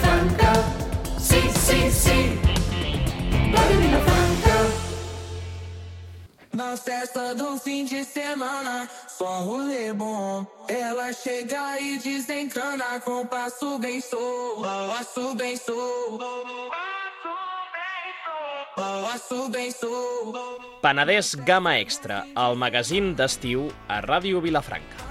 Vilafranca. Sí, sí, sí. Ràdio Vilafranca. Na festa do fim de semana, só rolê bom. Ela chega e desencana com passo bem sou, passo bem sou, passo bem sou. Penedès Gamma Extra, el magazín d'estiu a Ràdio Vilafranca.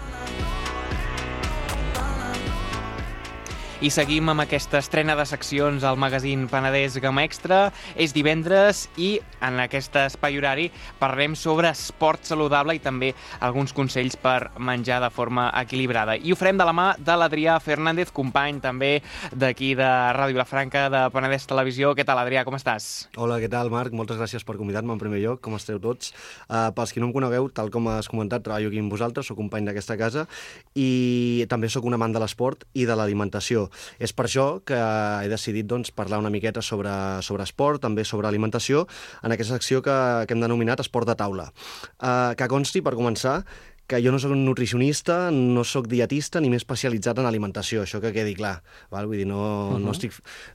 I seguim amb aquesta estrena de seccions al magazín Penedès Gamma Extra. És divendres i en aquest espai horari parlarem sobre esport saludable i també alguns consells per menjar de forma equilibrada. I ho farem de la mà de l'Adrià Fernández, company també d'aquí de Ràdio Vilafranca, de Penedès Televisió. Què tal, Adrià? Com estàs? Hola, què tal, Marc? Moltes gràcies per convidar-me en primer lloc. Com esteu tots? Pels qui no em conegueu, tal com has comentat, treballo aquí amb vosaltres, soc company d'aquesta casa i també sóc un amant de l'esport i de l'alimentació. És per això que he decidit parlar una miqueta sobre esport, també sobre alimentació, en aquesta secció que hem denominat Esport de Taula. Que consti, per començar, que jo no soc un nutricionista, no soc dietista ni m'he especialitzat en alimentació, això que quedi clar. Val? Vull dir, no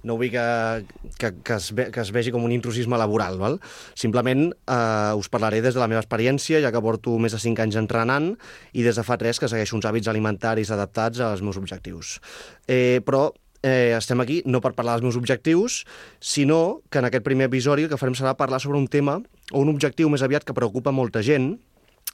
vull que es vegi com un intrusisme laboral. Val? Simplement us parlaré des de la meva experiència, ja que porto més de 5 anys entrenant i des de fa 3 que segueixo uns hàbits alimentaris adaptats als meus objectius. Però estem aquí no per parlar dels meus objectius, sinó que en aquest primer episodi el que farem serà parlar sobre un tema o un objectiu més aviat que preocupa molta gent,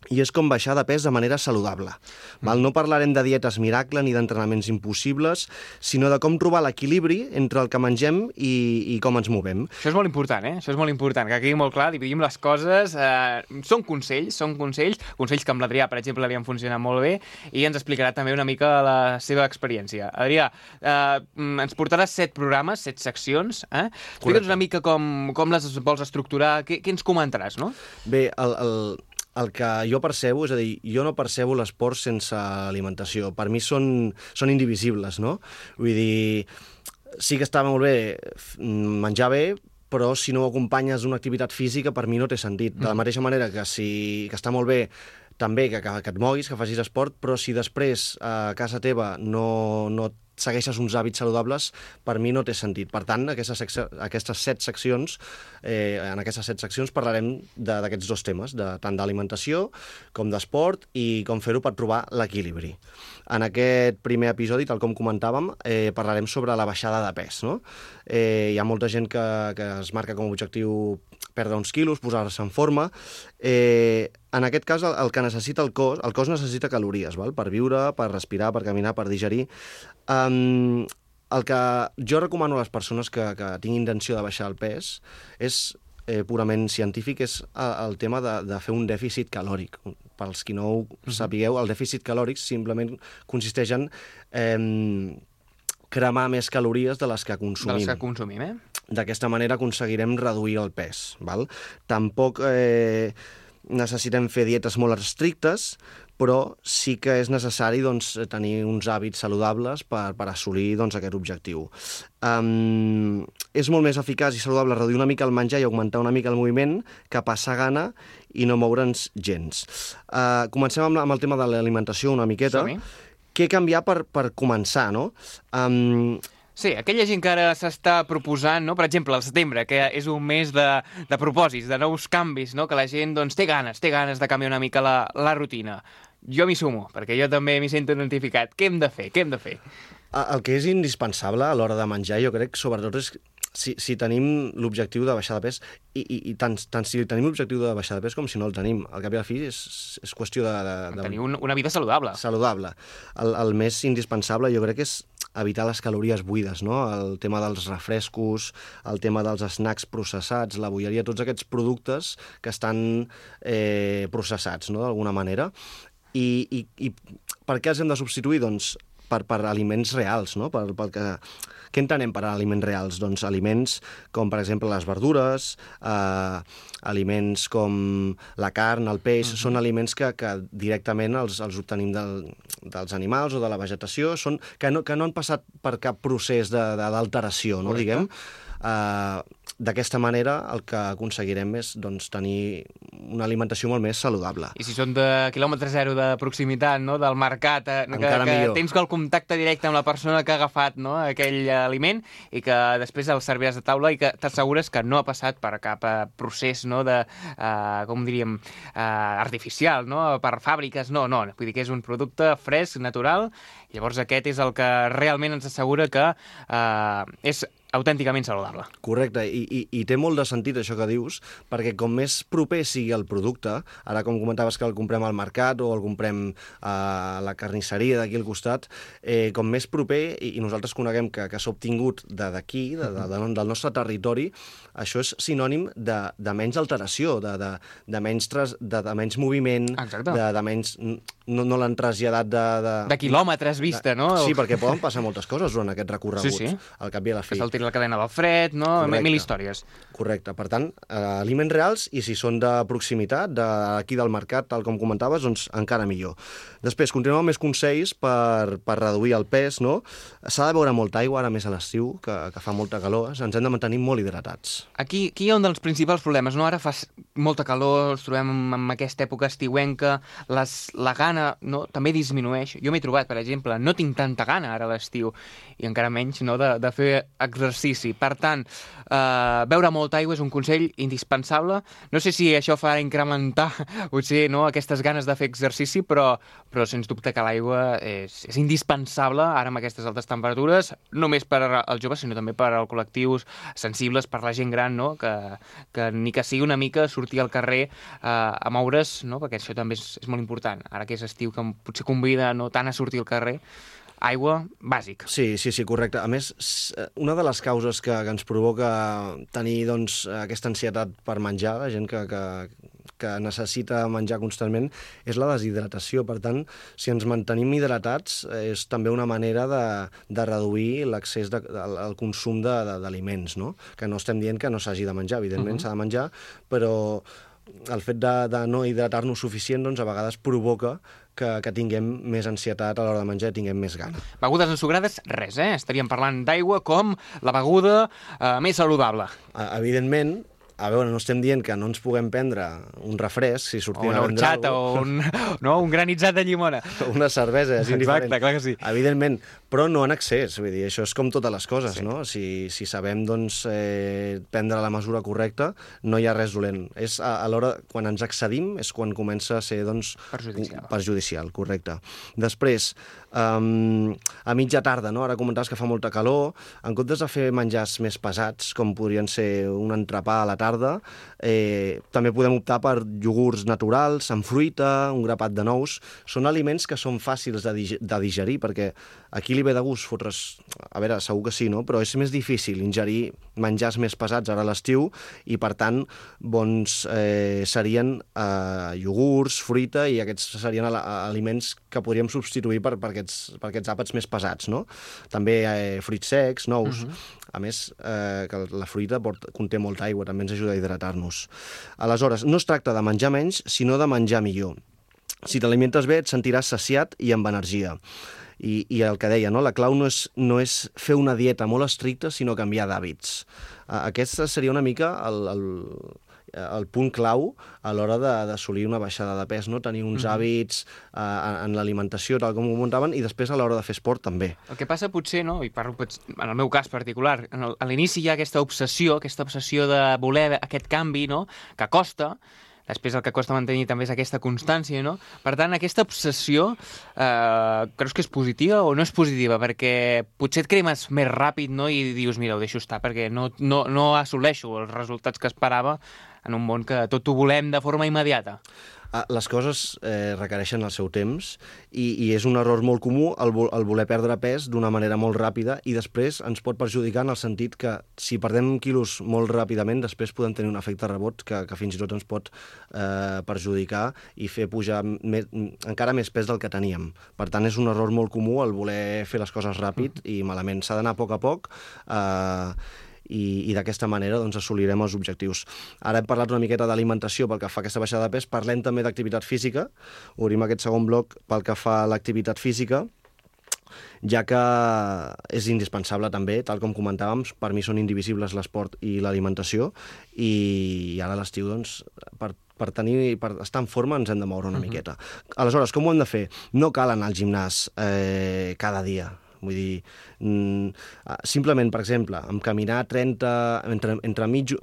i és com baixar de pes de manera saludable. No parlarem de dietes miracle ni d'entrenaments impossibles, sinó de com trobar l'equilibri entre el que mengem i com ens movem. Això és molt important, Això és molt important, que quedi molt clar, dividim les coses. Són consells que amb l'Adrià, per exemple, li han funcionat molt bé, i ens explicarà també una mica la seva experiència. Adrià, ens portaràs 7 programes, 7 seccions. Explica'ns una mica com les vols estructurar, què ens comentaràs, no? Bé, el que jo percebo, és a dir, jo no percebo l'esport sense alimentació. Per mi són indivisibles, no? Vull dir, sí que està molt bé menjar bé, però si no ho acompanyes d'una activitat física, per mi no té sentit. De la mateixa manera que està molt bé també que et moguis, que facis esport, però si després a casa teva no segueixes uns hàbits saludables, per mi no té sentit. Per tant, en aquestes 7 seccions parlarem d'aquests 2 temes, tant d'alimentació com d'esport i com fer-ho per trobar l'equilibri. En aquest primer episodi, tal com comentàvem, parlarem sobre la baixada de pes. No? Hi ha molta gent que es marca com a objectiu perdre uns quilos, posar-se en forma. En aquest cas, el que necessita el cos necessita calories, val? Per viure, per respirar, per caminar, per digerir. El que jo recomano a les persones que tinguin intenció de baixar el pes és purament científic, és el tema de fer un dèficit calòric. Pels qui no ho sapigueu, el dèficit calòric simplement consisteix en cremar més calories de les que consumim. D'aquesta manera aconseguirem reduir el pes. Val? Tampoc necessitem fer dietes molt estrictes, però sí que és necessari tenir uns hàbits saludables per assolir aquest objectiu. És molt més eficaç i saludable reduir una mica el menjar i augmentar una mica el moviment que passar gana i no moure'ns gens. Comencem amb el tema de l'alimentació una miqueta. Som-hi. Què canviar per començar, no? Sí, aquella gent que ara s'està proposant, no? Per exemple, el setembre, que és un mes de propòsits, de nous canvis, no? Que la gent té ganes de canviar una mica la rutina. Jo m'hi sumo, perquè jo també m'hi sento identificat. Què hem de fer? El que és indispensable a l'hora de menjar, jo crec, sobretot, és si tenim l'objectiu de baixar de pes, i tant si tenim l'objectiu de baixar de pes com si no el tenim. Al cap i a la fi és qüestió de tenir una vida saludable. El més indispensable jo crec que és evitar les calories buides, no? El tema dels refrescos, el tema dels snacks processats, la bolleria, tots aquests productes que estan processats, no? D'alguna manera. I per què els hem de substituir? Doncs per aliments reals, no? Què entenem per aliments reals? Doncs aliments com, per exemple, les verdures, aliments com la carn, el peix, són aliments que directament els obtenim dels animals o de la vegetació, que no han passat per cap procés d'alteració, no? Diguem. d'aquesta manera el que aconseguirem és doncs, tenir una alimentació molt més saludable. I si són de quilòmetre zero de proximitat, no? Del mercat, Encara que millor. tens el contacte directe amb la persona que ha agafat, no? Aquell aliment i que després el serviràs a taula i que t'assegures que no ha passat per cap procés, no? De, com diríem, artificial, no? Per fàbriques, no. Vull dir que és un producte fresc, natural, i llavors aquest és el que realment ens assegura que és autènticament saludable. Correcte, i té molt de sentit això que dius, perquè com més proper sigui el producte, ara com comentaves que el comprem al mercat o el comprem a la carnisseria d'aquí al costat, com més proper, i nosaltres coneguem que s'ha obtingut d'aquí, del nostre territori, això és sinònim de menys alteració, de menys moviment, de menys... No l'han traslladat de quilòmetres vista, no? Sí, perquè poden passar moltes coses durant aquest recorregut, sí. al cap i a la fi. Que se'l tiri la cadena del fred, no? Correcte. Mil històries. Correcte. Per tant, aliments reals, i si són de proximitat, d'aquí del mercat, tal com comentaves, doncs encara millor. Després, continuem amb més consells per reduir el pes, no? S'ha de beure molta aigua, ara més a l'estiu, que fa molta calor, ens hem de mantenir molt hidratats. Aquí hi ha un dels principals problemes, no? Ara fa molta calor, ens trobem en aquesta època estiuenca, la gana, no? També disminueix. Jo m'he trobat, per exemple, no tinc tanta gana ara a l'estiu, i encara menys, no? de fer exercici. Per tant, beure molta aigua és un consell indispensable. No sé si això fa incrementar, potser, no? Aquestes ganes de fer exercici, però sens dubte que l'aigua és indispensable ara amb aquestes altes temperatures, no només per als joves, sinó també per als col·lectius sensibles, per la gent gran, no? Que ni que sigui una mica sortir al carrer a moure's, no? Perquè això també és molt important. Ara que és estiu, que potser convida no tant a sortir al carrer, aigua, bàsic. Sí, correcte. A més, una de les causes que ens provoca tenir doncs, aquesta ansietat per menjar, la gent que necessita menjar constantment, és la deshidratació. Per tant, si ens mantenim hidratats, és també una manera de reduir l'accés al consum d'aliments, no? Que no estem dient que no s'hagi de menjar, evidentment s'ha de menjar, però el fet de no hidratar-nos suficient, doncs, a vegades provoca que tinguem més ansietat a l'hora de menjar i tinguem més gana. Begudes ensucrades, res, Estaríem parlant d'aigua com la beguda més saludable. Evidentment, a veure, no estem dient que no ens puguem prendre un refresc si sortim a vendre horchata o un granitzat de llimona. Una cervesa, és indiferent. Exacte, clar que sí. Evidentment, però no en excés, vull dir, això és com totes les coses, sí. No? Si sabem, doncs, prendre la mesura correcta, no hi ha res dolent. És a l'hora, quan ens excedim, és quan comença a ser, doncs, perjudicial, correcte. Després, a mitja tarda, no? Ara comentaves que fa molta calor, en comptes de fer menjars més pesats, com podrien ser un entrepà a la tarda, també podem optar per iogurts naturals, amb fruita, un grapat de nous. Són aliments que són fàcils de digerir, perquè aquí li ve de gust fotre's... A veure, segur que sí, no? Però és més difícil ingerir menjars més pesats ara a l'estiu i, per tant, bons serien iogurts, fruita, i aquests serien aliments que podríem substituir per aquests àpats més pesats, no? També fruits secs, nous... A més, que la fruita conté molta aigua, també ens ajuda a hidratar-nos. Aleshores, no es tracta de menjar menys, sinó de menjar millor. Si t'alimentes bé, et sentiràs saciat i amb energia. I el que deia, no? La clau no és fer una dieta molt estricta, sinó canviar d'hàbits. Aquest seria una mica el punt clau a l'hora d'assolir una baixada de pes, no? Tenir uns hàbits en l'alimentació, tal com ho muntaven, i després a l'hora de fer esport també. El que passa potser, no? I parlo en el meu cas particular, a l'inici hi ha aquesta obsessió de voler aquest canvi, no? Que costa. Després el que costa mantenir també és aquesta constància, no? Per tant, aquesta obsessió creus que és positiva o no és positiva? Perquè potser et cremes més ràpid, no? I dius, mira, ho deixo estar, perquè no assoleixo els resultats que esperava en un món que tot ho volem de forma immediata. Les coses requereixen el seu temps i és un error molt comú el voler perdre pes d'una manera molt ràpida, i després ens pot perjudicar en el sentit que si perdem quilos molt ràpidament, després podem tenir un efecte rebot que fins i tot ens pot perjudicar i fer pujar encara més pes del que teníem. Per tant, és un error molt comú el voler fer les coses ràpid i malament. S'ha d'anar a poc i d'aquesta manera doncs, assolirem els objectius. Ara hem parlat una miqueta d'alimentació pel que fa a aquesta baixada de pes, parlem també d'activitat física. Obrim aquest segon bloc pel que fa a l'activitat física. ja que és indispensable també, tal com comentàvem, per mi són indivisibles l'esport i l'alimentació, i ara a l'estiu, doncs, per estar en forma ens hem de moure una miqueta. Aleshores, com ho hem de fer? No cal anar al gimnàs cada dia. Vull dir, simplement, per exemple, amb caminar 30, entre mitja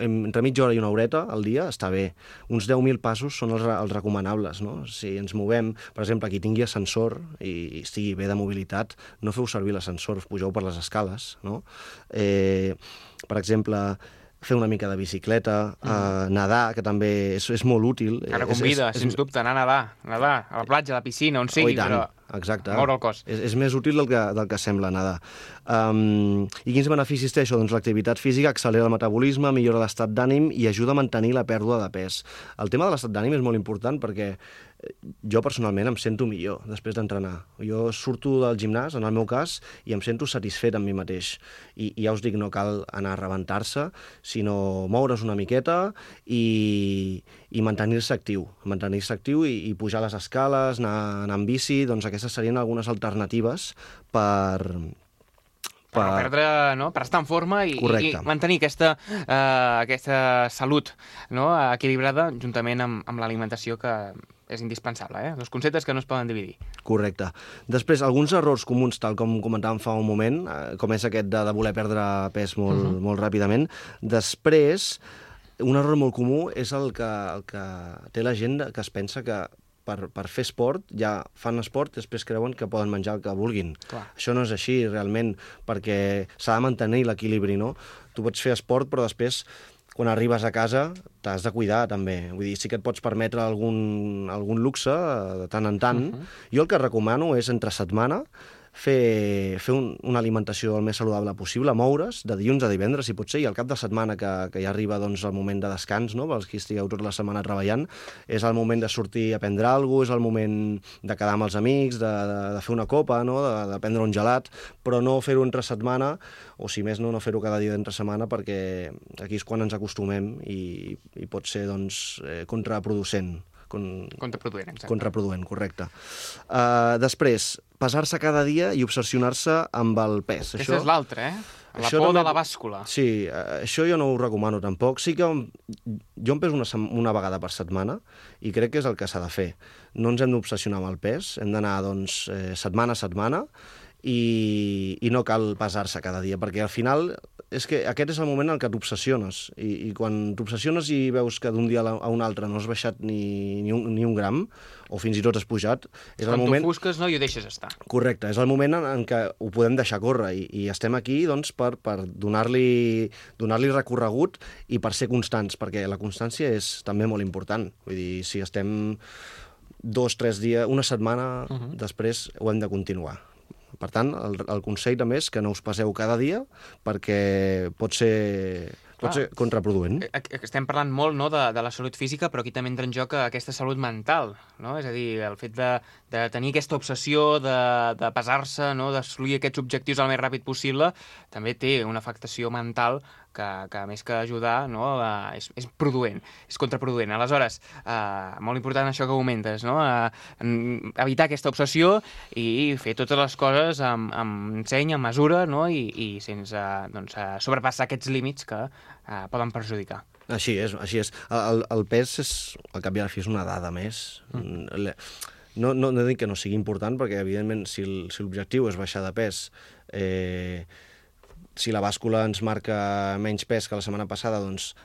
hora i una horeta al dia està bé. Uns 10.000 passos són els recomanables, no? Si ens movem, per exemple, qui tingui ascensor i estigui bé de mobilitat, no feu servir l'ascensor, pugeu per les escales, no? Per exemple, fer una mica de bicicleta, nedar, que també és molt útil. Ara convida, sens dubte, anar a nedar, a la platja, a la piscina, on sigui, però exacte. Moure el cos. És més útil del que sembla nedar. I quins beneficis té això? Doncs l'activitat física accelera el metabolisme, millora l'estat d'ànim i ajuda a mantenir la pèrdua de pes. El tema de l'estat d'ànim és molt important perquè jo personalment em sento millor després d'entrenar. Jo surto del gimnàs, en el meu cas, i em sento satisfet amb mi mateix. I ja us dic, no cal anar a rebentar-se, sinó moure's una miqueta i mantenir-se actiu. Mantenir-se actiu i pujar les escales, anar amb bici, doncs aquestes serien algunes alternatives per perdre, no? Per estar en forma i mantenir aquesta salut, no? Equilibrada juntament amb l'alimentació, que és indispensable, Dos conceptes que no es poden dividir. Correcte. Després, alguns errors comuns, tal com comentàvem fa un moment, com és aquest de voler perdre pes molt ràpidament. Després, un error molt comú és el que té la gent, que es pensa que per fer esport, ja fan esport i després creuen que poden menjar el que vulguin. Clar. Això no és així, realment, perquè s'ha de mantenir l'equilibri, no? Tu pots fer esport, però després, quan arribes a casa, t'has de cuidar, també. Vull dir, sí que et pots permetre algun luxe, de tant en tant. Jo el que recomano és, entre setmana, fer una alimentació el més saludable possible, moure's de dilluns a divendres, si pot ser, i al cap de setmana, que ja arriba doncs, el moment de descans, no? Pels que estigueu tota la setmana treballant, és el moment de sortir a prendre alguna cosa, és el moment de quedar amb els amics, de fer una copa, no? de prendre un gelat, però no fer-ho entre setmana, o si més no fer-ho cada dia d'entre setmana, perquè aquí és quan ens acostumem i pot ser doncs, contraproducent. Contraproduent, exacte. Contraproduent, correcte. Després, pesar-se cada dia i obsessionar-se amb el pes. Aquesta és l'altra, La por de la bàscula. Sí, això jo no ho recomano tampoc. Sí que jo em peso una vegada per setmana i crec que és el que s'ha de fer. No ens hem d'obsessionar amb el pes, hem d'anar doncs, setmana a setmana i no cal pesar-se cada dia, perquè al final és que aquest és el moment en què t'obsessiones i quan t'obsessiones i veus que d'un dia a un altre no has baixat ni un gram, o fins i tot has pujat, és el moment... Quan t'ofusques, no, i ho deixes estar. Correcte, és el moment en què ho podem deixar córrer i estem aquí doncs, per donar-li recorregut i per ser constants, perquè la constància és també molt important. Vull dir, si estem 2-3 dies, una setmana, després ho hem de continuar. Per tant, el consell també és que no us passeu cada dia perquè pot ser contraproduent. Estem parlant molt, no, de la salut física, però aquí també entra en joc aquesta salut mental, no? És a dir, el fet de tenir aquesta obsessió de pesar-se, no, d'assolir aquests objectius el més ràpid possible, també té una afectació mental que més que ajudar, no, és produent, és contraproduent. Aleshores, molt important això que comentes, no? Evitar aquesta obsessió i fer totes les coses amb seny, amb mesura, no? I sense sobrepassar aquests límits que poden perjudicar. Així és. El pes, al cap i a la fi, és una dada més. No dic que no sigui important, perquè, evidentment, si l'objectiu és baixar de pes, si la bàscula ens marca menys pes que la setmana passada, doncs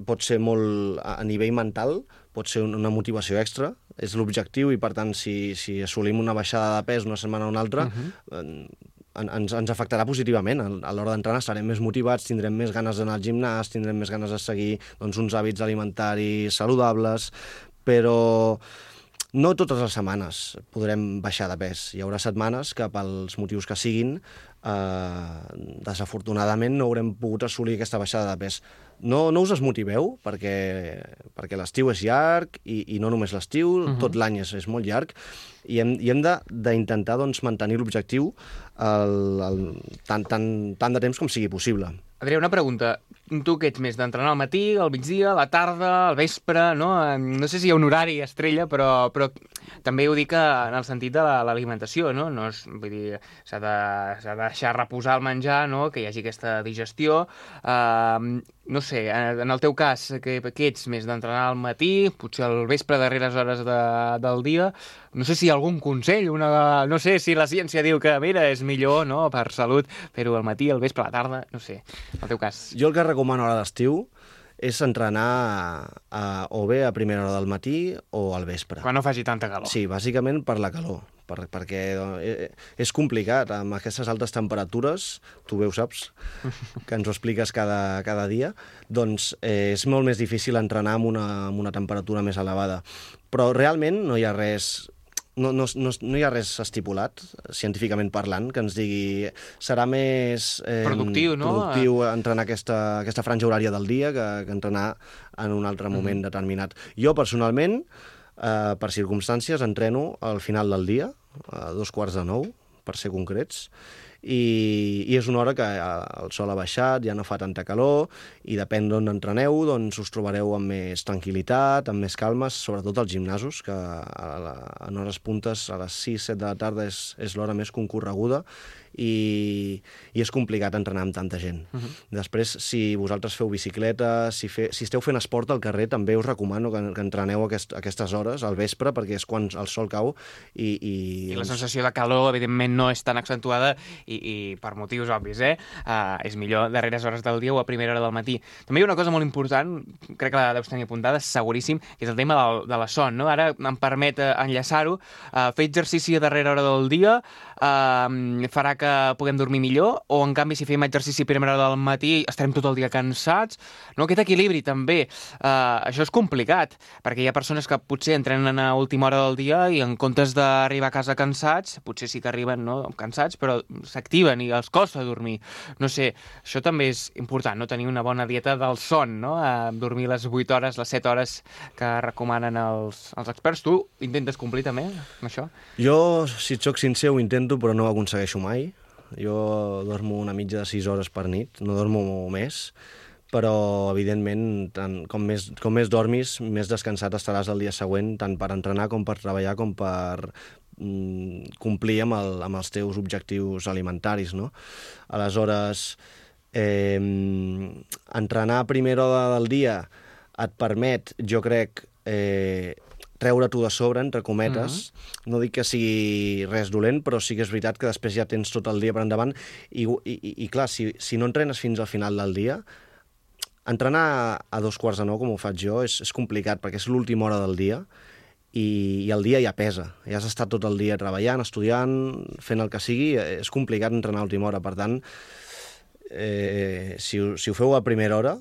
pot ser molt, a nivell mental, pot ser una motivació extra, és l'objectiu, i per tant, si assolim una baixada de pes una setmana o una altra, ens afectarà positivament. A l'hora d'entrenar estarem més motivats, tindrem més ganes d'anar al gimnàs, tindrem més ganes de seguir doncs, uns hàbits alimentaris saludables, però no totes les setmanes podrem baixar de pes. Hi haurà setmanes que, pels motius que siguin, desafortunadament no haurem pogut assolir aquesta baixada de pes. No us desmotiveu, perquè l'estiu és llarg, i no només l'estiu, tot l'any és molt llarg, i hem d'intentar doncs, mantenir l'objectiu tant de temps com sigui possible. Adrià, una pregunta. tu què ets més, d'entrenar al matí, al migdia, a la tarda, al vespre, no? No sé si hi ha un horari estrella, però també ho dic en el sentit de l'alimentació, no? No és, vull dir, s'ha de deixar reposar el menjar, no? Que hi hagi aquesta digestió. No sé, en el teu cas, què ets més, d'entrenar al matí, potser al vespre, darreres hores del dia? No sé si hi ha algun consell, no sé si la ciència diu que, mira, és millor, no?, per salut, fer-ho al matí, al vespre, a la tarda, no sé, en el teu cas. Jo el que recomano a l'estiu és entrenar o bé a primera hora del matí o al vespre. Quan no faci tanta calor. Sí, bàsicament per la calor, perquè és complicat amb aquestes altes temperatures, tu bé ho saps, que ens ho expliques cada dia, doncs és molt més difícil entrenar amb una temperatura més elevada. Però realment no hi ha res... No hi ha res estipulat, científicament parlant, que ens digui serà més productiu, no? Productiu entrenar aquesta franja horària del dia que entrenar en un altre moment determinat. Jo, personalment, per circumstàncies, entreno al final del dia, a 8:45, per ser concrets, i és una hora que el sol ha baixat, ja no fa tanta calor, i depèn d'on entreneu, doncs us trobareu amb més tranquil·litat, amb més calmes, sobretot als gimnasos, que en hores puntes, a les 6-7 de la tarda, és l'hora més concorreguda, i és complicat entrenar amb tanta gent. Després, si vosaltres feu bicicleta, si esteu fent esport al carrer, també us recomano que entreneu a aquestes hores, al vespre, perquè és quan el sol cau. I la sensació de calor, evidentment, no és tan accentuada, i per motius obvis, és millor darreres hores del dia o a primera hora del matí. També hi ha una cosa molt important, crec que la deus tenir apuntada, seguríssim, que és el tema de la son, no? Ara em permet enllaçar-ho. Fer exercici a darrera hora del dia farà que puguem dormir millor, o en canvi si fem exercici a primera hora del matí estarem tot el dia cansats, no? Aquest equilibri també, això és complicat, perquè hi ha persones que potser entrenen a última hora del dia i en comptes d'arribar a casa cansats, potser sí que arriben, no, cansats, però s'activen i els costa dormir. No sé, això també és important, no? Tenir una bona dieta del son, no? Dormir les 8 hores, les 7 hores que recomanen els experts. Tu intentes complir també amb això? Jo, si et soc sincer, ho intento, però no ho aconsegueixo mai. Jo dormo una mitja de 6 hores per nit, no dormo més, però, evidentment, com més dormis, més descansat estaràs el dia següent, tant per entrenar com per treballar, com per complir amb els teus objectius alimentaris, no? Aleshores, entrenar a primera hora del dia et permet, jo crec, treure-t'ho de sobre, entre cometes. No dic que sigui res dolent, però sí que és veritat que després ja tens tot el dia per endavant. I clar, si no entrenes fins al final del dia, entrenar a 8:45, com ho faig jo, és complicat, perquè és l'última hora del dia, i el dia ja pesa. Ja has estat tot el dia treballant, estudiant, fent el que sigui, és complicat entrenar a l'última hora. Per tant, si ho feu a primera hora,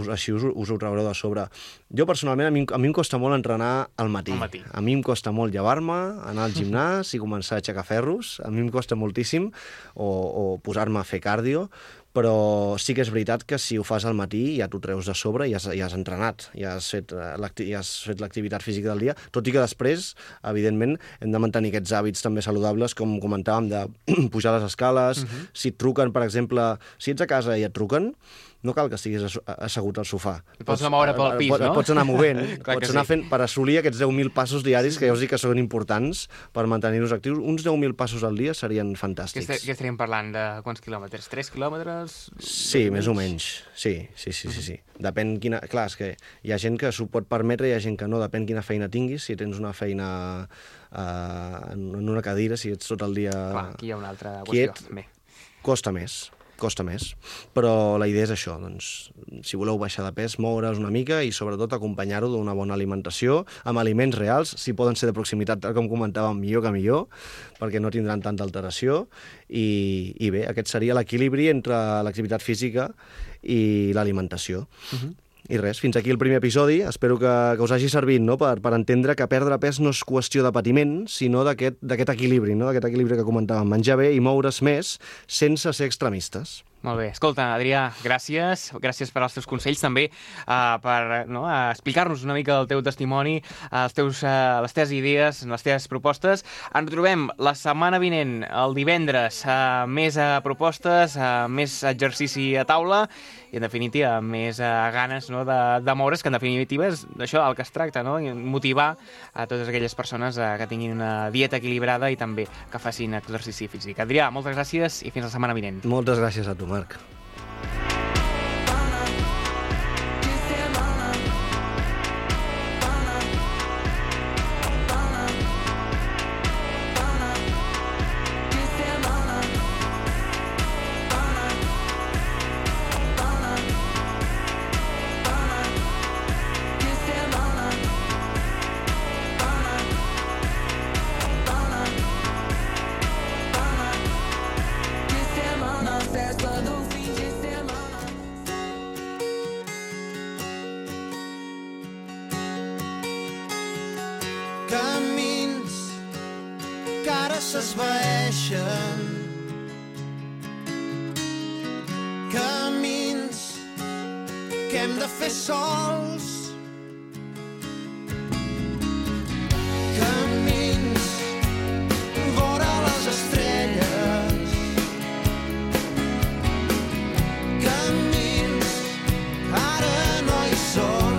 així us ho traureu de sobre. Jo, personalment, a mi em costa molt entrenar al matí. A mi em costa molt llevar-me, anar al gimnàs i començar a aixecar ferros. A mi em costa moltíssim, o posar-me a fer càrdio, però sí que és veritat que si ho fas al matí ja t'ho treus de sobre i ja has entrenat, ja has fet l'activitat física del dia, tot i que després, evidentment, hem de mantenir aquests hàbits també saludables, com comentàvem, de pujar les escales. Si et truquen, per exemple, si ets a casa i et truquen, no cal que estiguis assegut al sofà. Pots anar a moure pel pis, no? Pots anar movent, pots anar fent per assolir aquests 10.000 passos diaris, que ja us dic que són importants per mantenir-nos actius. Uns 10.000 passos al dia serien fantàstics. Què estaríem parlant? De quants quilòmetres? 3 quilòmetres? Sí, més o menys. Sí. Depèn quina... Clar, és que hi ha gent que s'ho pot permetre i hi ha gent que no. Depèn quina feina tinguis. Si tens una feina en una cadira, si ets tot el dia... Clar, aquí hi ha una altra qüestió. Quiet, costa més, però la idea és això, doncs, si voleu baixar de pes, moure's una mica i sobretot acompanyar-ho d'una bona alimentació, amb aliments reals, si poden ser de proximitat, tal com comentàvem, millor que millor, perquè no tindran tanta alteració, i bé, aquest seria l'equilibri entre l'activitat física i l'alimentació. I res, fins aquí el primer episodi. Espero que us hagi servit, no?, per entendre que perdre pes no és qüestió de patiment, sinó d'aquest equilibri, no?, d'aquest equilibri que comentàvem, menjar bé i moure's més sense ser extremistes. Molt bé. Escolta, Adrià, gràcies. Gràcies per als teus consells, també per explicar-nos una mica el teu testimoni, les teves idees, les teves propostes. Ens trobem la setmana vinent, el divendres, més propostes, més exercici a taula i, en definitiva, més ganes de moure's, que en definitiva és d'això el que es tracta, no? Motivar a totes aquelles persones que tinguin una dieta equilibrada i també que facin exercici físic. Adrià, moltes gràcies i fins la setmana vinent. Moltes gràcies a tu, Marc. Camins que ara s'esvaeixen, camins que hem de fer sols, camins vora les estrelles, camins que ara no hi són.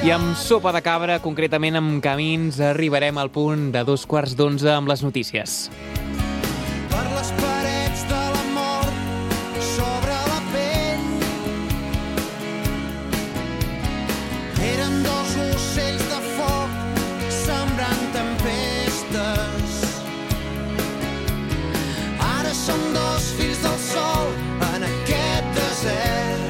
I amb Sopa de Cabra, concretament amb Camins, arribarem al punt de 11:15 amb les notícies. Per les parets de la mort sobre la pell eren dos ocells de foc sembrant tempestes. Ara som dos fills del sol en aquest desert.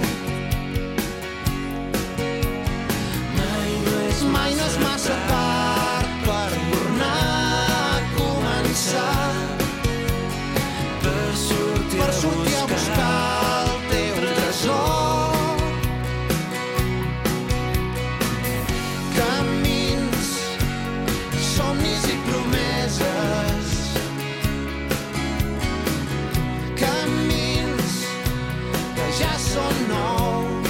Mai no és massa tard per tornar a començar, per sortir a buscar el teu tresor. Camins, somnis i promeses, camins que ja són nous.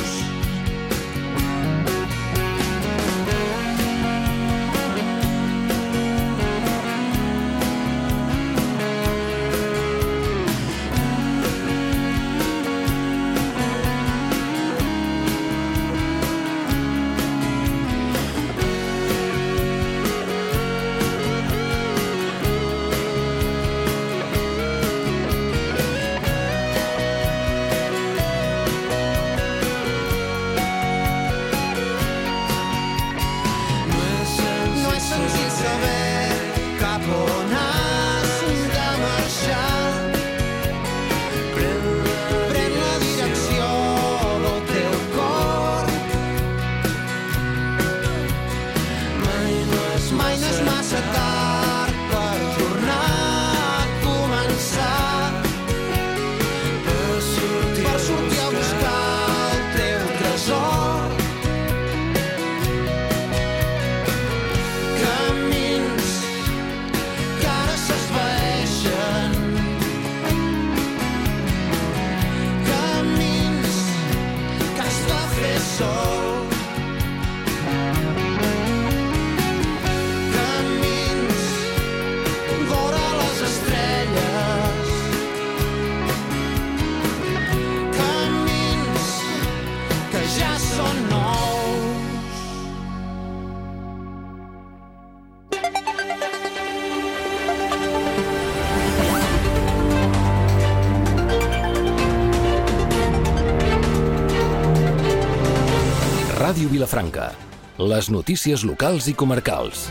Ràdio Vilafranca. Les notícies locals i comarcals.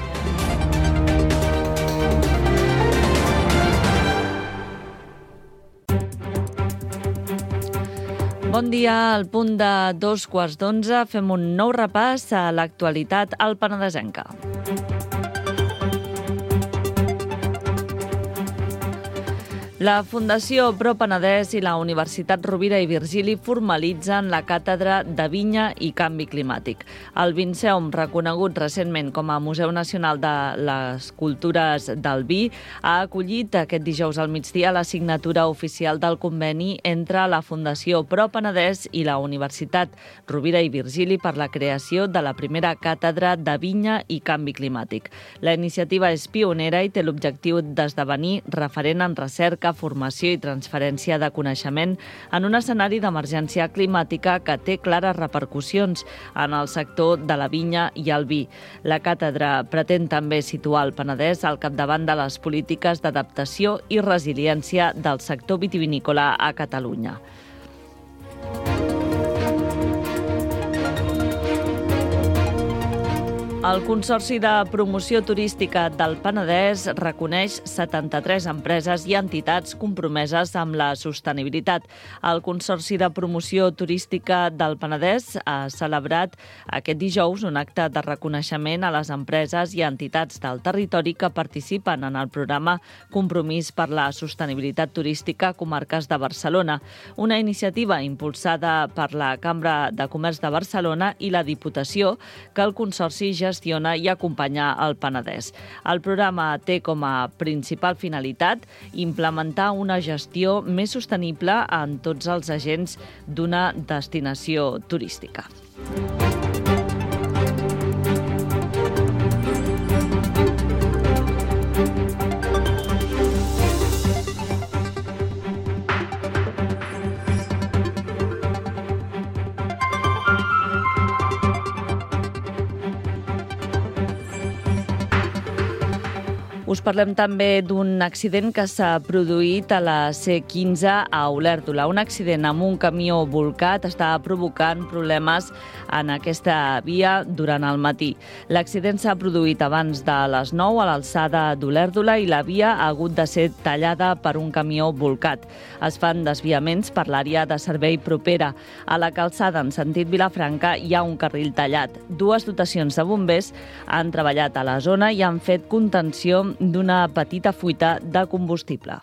Bon dia, al punt de 11:15 fem un nou repàs a l'actualitat alpenadesenca. La Fundació Pro Penedès i la Universitat Rovira i Virgili formalitzen la càtedra de Vinya i Canvi Climàtic. El Vinceum, reconegut recentment com a Museu Nacional de les Cultures del Vi, ha acollit aquest dijous al migdia la signatura oficial del conveni entre la Fundació Pro Penedès i la Universitat Rovira i Virgili per la creació de la primera càtedra de Vinya i Canvi Climàtic. La iniciativa és pionera i té l'objectiu d'esdevenir referent en recerca, formació i transferència de coneixement en un escenari d'emergència climàtica que té clares repercussions en el sector de la vinya i el vi. La càtedra pretén també situar el Penedès al capdavant de les polítiques d'adaptació i resiliència del sector vitivinícola a Catalunya. El Consorci de Promoció Turística del Penedès reconeix 73 empreses i entitats compromeses amb la sostenibilitat. El Consorci de Promoció Turística del Penedès ha celebrat aquest dijous un acte de reconeixement a les empreses i entitats del territori que participen en el programa Compromís per la Sostenibilitat Turística Comarques de Barcelona, una iniciativa impulsada per la Cambra de Comerç de Barcelona i la Diputació que el Consorci gestiona i acompanya el Penedès. El programa té com a principal finalitat implementar una gestió més sostenible en tots els agents d'una destinació turística. Us parlem també d'un accident que s'ha produït a la C15 a Olèrdola. Un accident amb un camió bolcat està provocant problemes en aquesta via durant el matí. L'accident s'ha produït abans de les 9 a l'alçada d'Olèrdola i la via ha hagut de ser tallada per un camió bolcat. Es fan desviaments per l'àrea de servei propera. A la calçada en sentit Vilafranca hi ha un carril tallat. Dues dotacions de bombers han treballat a la zona i han fet contenció d'una petita fuita de combustible.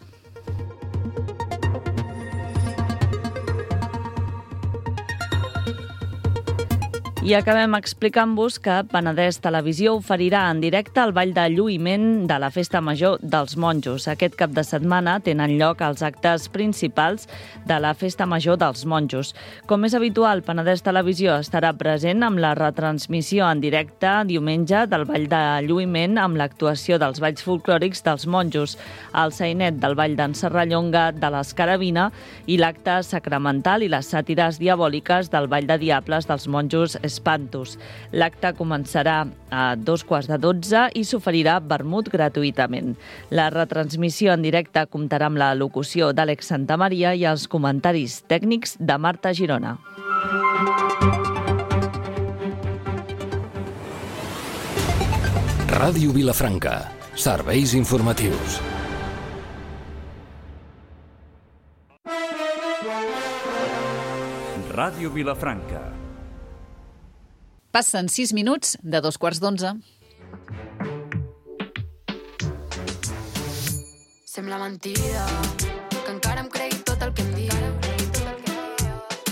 I acabem explicant-vos que Penedès Televisió oferirà en directe el ball de lluïment de la Festa Major dels Monjos. Aquest cap de setmana tenen lloc els actes principals de la Festa Major dels Monjos. Com és habitual, Penedès Televisió estarà present amb la retransmissió en directe diumenge del ball de lluïment amb l'actuació dels balls folclòrics dels monjos, el sainet del ball d'en Serrallonga de l'Escarabina i l'acte sacramental i les sàtires diabòliques del ball de diables dels monjos Espantos. L'acte començarà a 11:45 i s'oferirà vermut gratuïtament. La retransmissió en directe comptarà amb la locució d'Àlex Santamaria i els comentaris tècnics de Marta Girona. Ràdio Vilafranca. Serveis informatius. Ràdio Vilafranca. Passen 6 minuts de 11:45. Sembla mentida que encara em cregui tot el que em dius.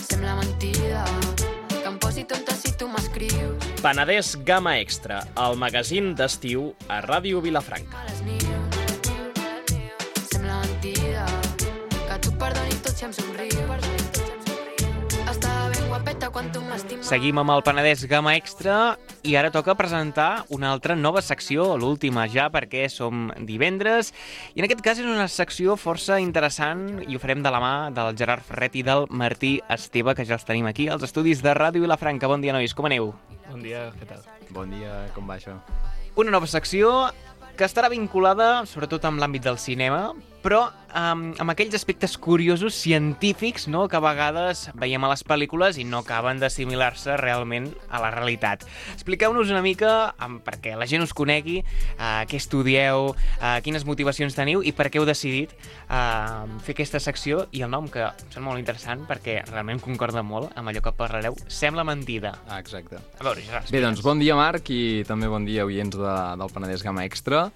Sembla mentida que em posi tonta si tu m'escrius. Penedès Gamma Extra, el magazín d'estiu a Ràdio Vilafranca. Sembla mentida que tu perdoni tot si em somrius. Estava ben guapeta quan tu m'estimes. Seguim amb el Penedès Gamma Extra i ara toca presentar una altra nova secció, l'última ja, perquè som divendres. I en aquest cas és una secció força interessant i ho farem de la mà del Gerard Ferret i del Martí Esteve, que ja els tenim aquí als estudis de Ràdio Vilafranca. Bon dia, nois, com aneu? Bon dia, què tal? Bon dia, com va això? Una nova secció que estarà vinculada sobretot amb l'àmbit del cinema, però amb aquells aspectes curiosos científics, no?, que a vegades veiem a les pel·lícules i no acaben d'assimilar-se realment a la realitat. Expliqueu-nos una mica, perquè la gent us conegui, què estudieu, quines motivacions teniu i per què heu decidit fer aquesta secció i el nom, que em sembla molt interessant perquè realment concorda molt amb allò que parlareu. Sembla mentida. Exacte. A veure, Gerard, bé, doncs bon dia, Marc, i també bon dia, oients del Penedès Gamma Extra.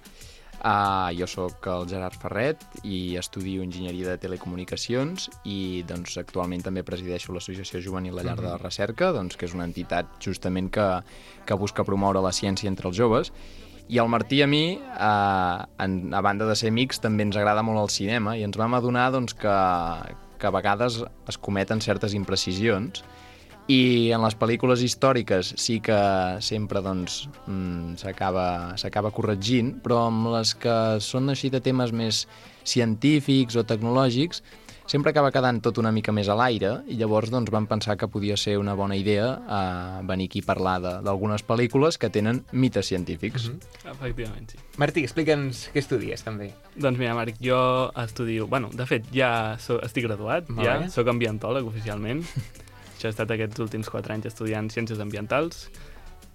Jo sóc el Gerard Ferret i estudio Enginyeria de Telecomunicacions i doncs, actualment també presideixo l'Associació Juvenil La Llar de la Recerca, doncs, que és una entitat justament que busca promoure la ciència entre els joves. I el Martí i a mi, a banda de ser amics, també ens agrada molt el cinema i ens vam adonar doncs, que a vegades es cometen certes imprecisions i en les pel·lícules històriques sí que sempre doncs, s'acaba corregint, però amb les que són així de temes més científics o tecnològics sempre acaba quedant tot una mica més a l'aire i llavors doncs, vam pensar que podia ser una bona idea venir aquí a parlar d'algunes pel·lícules que tenen mites científics. Efectivament, sí. Martí, explica'ns què estudies, també. Doncs mira, Marc, jo estudio... Bueno, de fet, ja estic graduat, ja soc ambientòleg oficialment. Això he estat aquests últims 4 anys estudiant Ciències Ambientals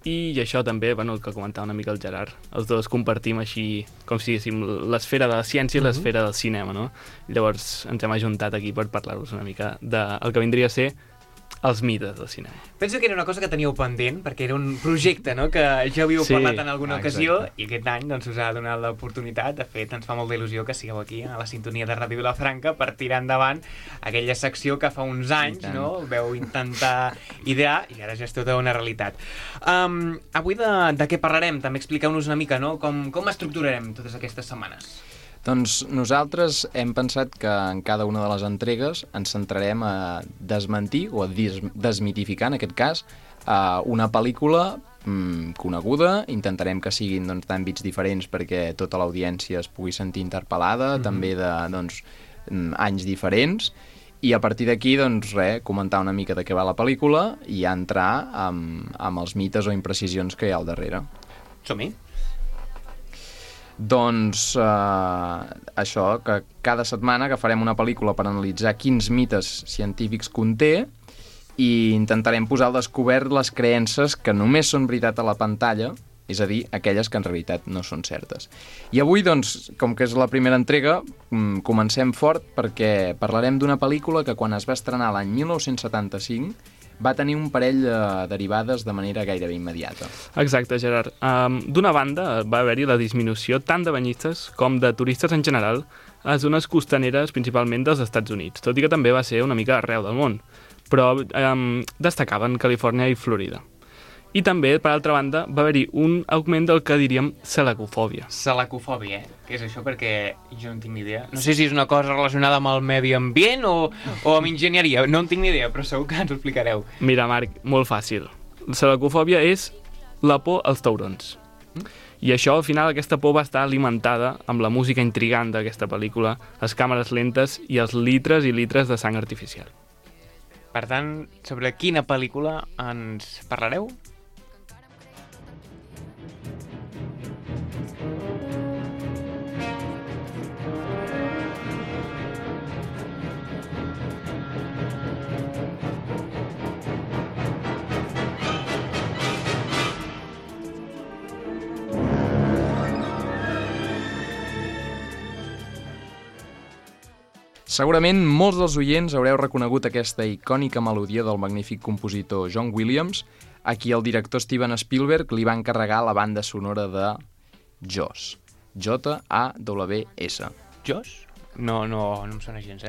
i això també, bueno, el que comentava una mica el Gerard. Els dos compartim així, com si diguéssim, l'esfera de la ciència i l'esfera del cinema, no? Llavors ens hem ajuntat aquí per parlar-vos una mica del que vindria a ser els mites del cinema. Penso que era una cosa que teníeu pendent, perquè era un projecte, no?, que ja havíeu parlat en alguna ocasió, i aquest any doncs, us ha donat l'oportunitat. De fet, ens fa molta il·lusió que sigueu aquí, a la sintonia de Ràdio Vilafranca, per tirar endavant aquella secció que fa uns anys, no?, veu intentar idear, i ara ja és tota una realitat. Avui de què parlarem? També expliqueu-nos una mica, no?, com estructurarem totes aquestes setmanes. Doncs nosaltres hem pensat que en cada una de les entregues ens centrarem a desmentir o a desmitificar, en aquest cas, una pel·lícula coneguda. Intentarem que siguin doncs, d'àmbits diferents perquè tota l'audiència es pugui sentir interpel·lada, també de anys diferents. I a partir d'aquí, doncs, comentar una mica de què va la pel·lícula i ja entrar amb els mites o imprecisions que hi ha al darrere. Som-hi. Doncs això, que cada setmana agafarem una pel·lícula per analitzar quins mites científics conté i intentarem posar al descobert les creences que només són veritat a la pantalla, és a dir, aquelles que en realitat no són certes. I avui, doncs, com que és la primera entrega, comencem fort perquè parlarem d'una pel·lícula que quan es va estrenar l'any 1975 va tenir un parell de derivades de manera gairebé immediata. Exacte, Gerard. D'una banda, va haver-hi la disminució tant de banyistes com de turistes en general a zones costaneres, principalment dels Estats Units, tot i que també va ser una mica arreu del món, però destacaven Califòrnia i Florida. I també, per altra banda, va haver-hi un augment del que diríem selacofòbia. Selacofòbia, Què és això? Perquè jo no en tinc ni idea. No sé si és una cosa relacionada amb el medi ambient o amb enginyeria. No en tinc ni idea, però segur que ens ho explicareu. Mira, Marc, molt fàcil. Selacofòbia és la por als taurons. I això, al final, aquesta por va estar alimentada amb la música intrigant d'aquesta pel·lícula, les càmeres lentes i els litres i litres de sang artificial. Per tant, sobre quina pel·lícula ens parlareu? Segurament molts dels oients haureu reconegut aquesta icònica melodia del magnífic compositor John Williams, a qui el director Steven Spielberg li va encarregar la banda sonora de Jaws. J-A-W-S. Jaws? No em sona gens,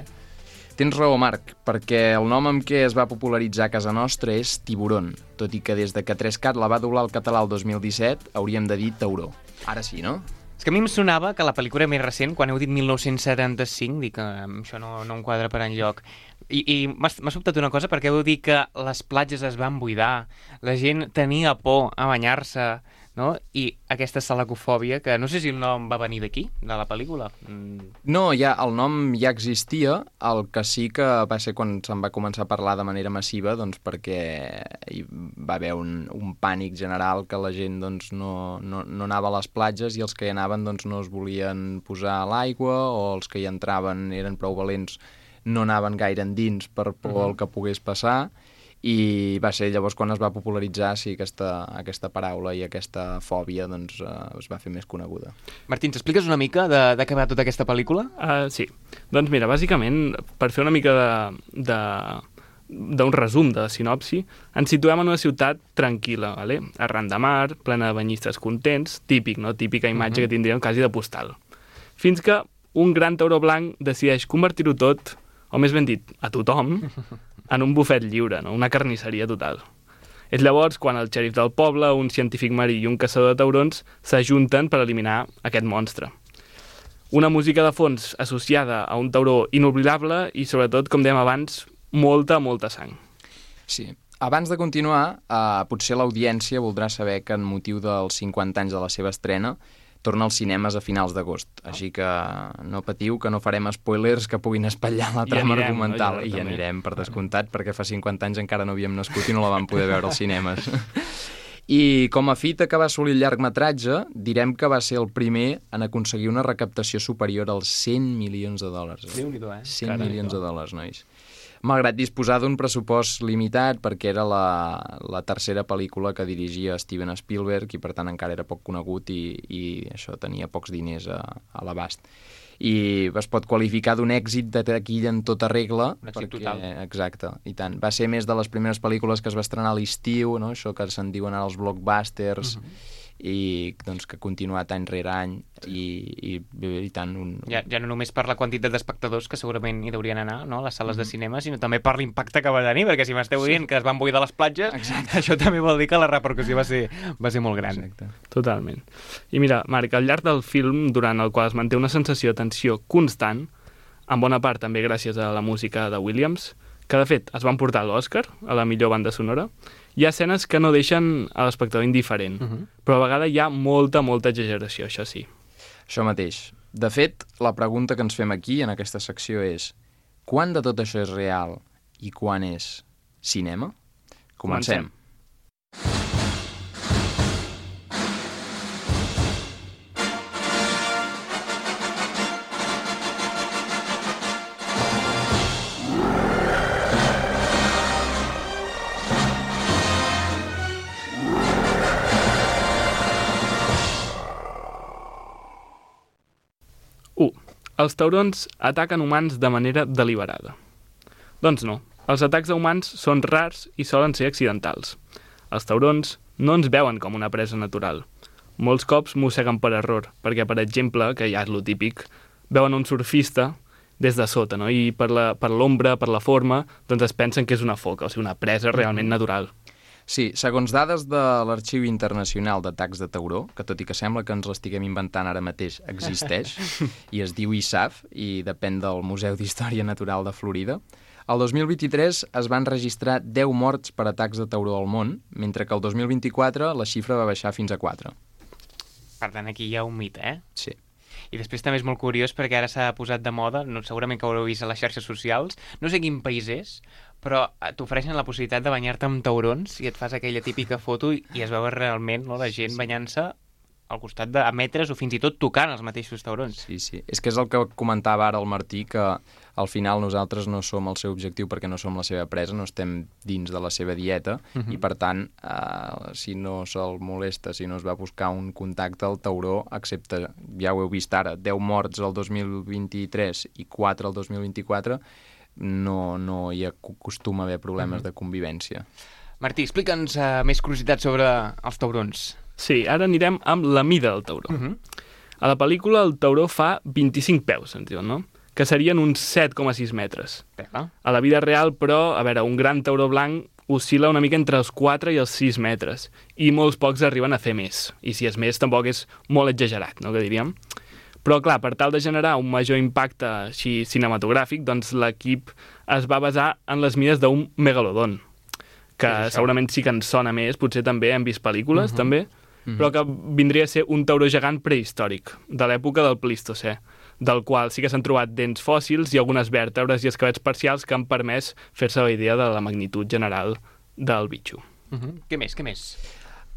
Tens raó, Marc, perquè el nom amb què es va popularitzar a casa nostra és Tiburon, tot i que des de que 3CAT la va doblar al català el 2017 hauríem de dir tauró. Ara sí, no? És que a mi em sonava que la pel·lícula més recent, quan heu dit 1975, dic que això no em quadra per enlloc. I m'ha sobtat una cosa, perquè heu dit que les platges es van buidar, la gent tenia por a banyar-se, no? I aquesta selacofòbia, que no sé si el nom va venir d'aquí, de la pel·lícula. No, el nom ja existia, el que sí que va ser quan se'n va començar a parlar de manera massiva, doncs perquè hi va haver un pànic general que la gent doncs, no anava a les platges i els que hi anaven doncs, no es volien posar a l'aigua o els que hi entraven eren prou valents no anaven gaire endins per por el que pogués passar. I va ser llavors quan es va popularitzar aquesta paraula i aquesta fòbia doncs, es va fer més coneguda. Martí, ens expliques una mica de què va tota aquesta pel·lícula? Sí. Doncs mira, bàsicament, per fer una mica de d'un resum de la sinopsi, ens situem en una ciutat tranquil·la, vale? Arran de mar, plena de banyistes contents, típic, no? Típica imatge que tindríem quasi de postal. Fins que un gran tauró blanc decideix convertir-ho tot, o més ben dit, a tothom, en un bufet lliure, no? Una carnisseria total. És llavors quan el xèrif del poble, un científic marí i un caçador de taurons s'ajunten per eliminar aquest monstre. Una música de fons associada a un tauró inoblidable i, sobretot, com dèiem abans, molta sang. Sí. Abans de continuar, potser l'audiència voldrà saber que en motiu dels 50 anys de la seva estrena torna als cinemes a finals d'agost. Així que no patiu, que no farem spoilers que puguin espatllar la trama argumental. I anirem, per descomptat, perquè fa 50 anys encara no havíem nascut i no la vam poder veure als cinemes. I com a fita que va assolir el llargmetratge, direm que va ser el primer en aconseguir una recaptació superior als 100 milions de dòlars. Déu-n'hi-do, 100 milions de dòlars, nois. Malgrat disposar d'un pressupost limitat, perquè era la tercera pel·lícula que dirigia Steven Spielberg i per tant encara era poc conegut i això tenia pocs diners a l'abast. I es pot qualificar d'un èxit de taquilla en tota regla. Un èxit total. Exacte, i tant. Va ser més de les primeres pel·lícules que es va estrenar a l'estiu, no? Això que se'n diuen ara els blockbusters, i doncs que ha continuat any rere any i tant ja no només per la quantitat d'espectadors que segurament hi deurien anar, no?, a les sales de cinema, sinó també per l'impacte que va tenir, perquè si m'esteu dient que es van buidar les platges, això també vol dir que la repercussió va ser molt gran. Exacte. Totalment. I mira, Marc, al llarg del film, durant el qual es manté una sensació de tensió constant, en bona part també gràcies a la música de Williams, que de fet es van portar a l'Oscar, a la millor banda sonora, hi ha escenes que no deixen a l'espectador indiferent, però a vegades hi ha molta exageració, això sí. Això mateix. De fet, la pregunta que ens fem aquí, en aquesta secció, és quant de tot això és real i quan és cinema? Comencem. Els taurons ataquen humans de manera deliberada. Doncs no, els atacs a humans són rars i solen ser accidentals. Els taurons no ens veuen com una presa natural. Molts cops mosseguen per error, perquè, per exemple, que ja és lo típic, veuen un surfista des de sota, no? I per l'ombra, per la forma, doncs es pensen que és una foca, o sigui, una presa realment natural. Sí, segons dades de l'Arxiu Internacional d'Atacs de Tauró, que tot i que sembla que ens l'estiguem inventant ara mateix, existeix, i es diu ISAF, i depèn del Museu d'Història Natural de Florida, el 2023 es van registrar 10 morts per atacs de tauró al món, mentre que el 2024 la xifra va baixar fins a 4. Per tant, aquí hi ha un mite, eh? Sí. I després també és molt curiós perquè ara s'ha posat de moda, segurament que ho haureu vist a les xarxes socials, no sé quin país és, però t'ofereixen la possibilitat de banyar-te amb taurons i et fas aquella típica foto i es veu realment, no, la gent banyant-se al costat de metres o fins i tot tocant els mateixos taurons. Sí. És que és el que comentava ara el Martí, que al final nosaltres no som el seu objectiu perquè no som la seva presa, no estem dins de la seva dieta i per tant, si no se'l molesta, si no es va buscar un contacte, el tauró, excepte, ja ho heu vist ara, 10 morts el 2023 i 4 el 2024, no hi acostuma a haver problemes de convivència. Martí, explica'ns més curiositats sobre els taurons. Sí, ara anirem amb la mida del tauró. A la pel·lícula el tauró fa 25 peus, ens diuen, no? Que serien uns 7,6 metres. A la vida real, però, a veure, un gran tauró blanc oscil·la una mica entre els 4 i els 6 metres, i molts pocs arriben a fer més. I si és més, tampoc és molt exagerat, no?, que diríem. Però, clar, per tal de generar un major impacte així cinematogràfic, doncs l'equip es va basar en les mides d'un megalodon, que segurament sí que ens sona més, potser també hem vist pel·lícules, també, però que vindria a ser un tauró gegant prehistòric, de l'època del Plistocè, del qual sí que s'han trobat dents fòssils i algunes vèrtebres i esquelets parcials que han permès fer-se la idea de la magnitud general del bitxo. Què més?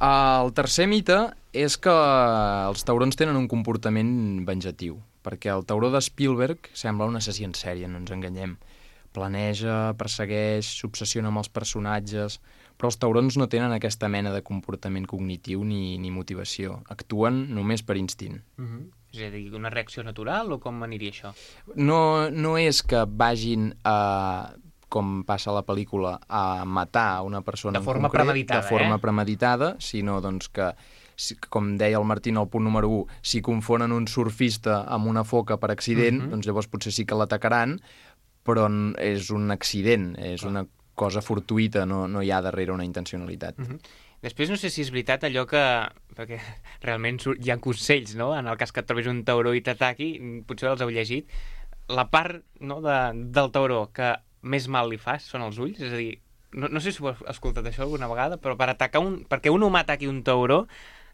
El tercer mite és que els taurons tenen un comportament venjatiu, perquè el tauró de Spielberg sembla un assassí en sèrie, no ens enganyem. Planeja, persegueix, s'obsessiona amb els personatges, però els taurons no tenen aquesta mena de comportament cognitiu ni motivació. Actuen només per instint. És a dir, una reacció natural o com aniria això? No és que vagin a com passa a la pel·lícula, a matar una persona de forma en concret, premeditada, de forma premeditada, sinó doncs, que, com deia el Martín al punt número 1, si confonen un surfista amb una foca per accident, doncs llavors potser sí que l'atacaran, però és un accident, és una cosa fortuïta, no hi ha darrere una intencionalitat. Després no sé si és veritat allò que... perquè realment hi ha consells, no? En el cas que et trobis un tauró i t'ataqui, potser els heu llegit, la part del tauró que més mal li fa són els ulls, és a dir, no sé si ho has escoltat això alguna vegada, però perquè un humà ataqui un tauró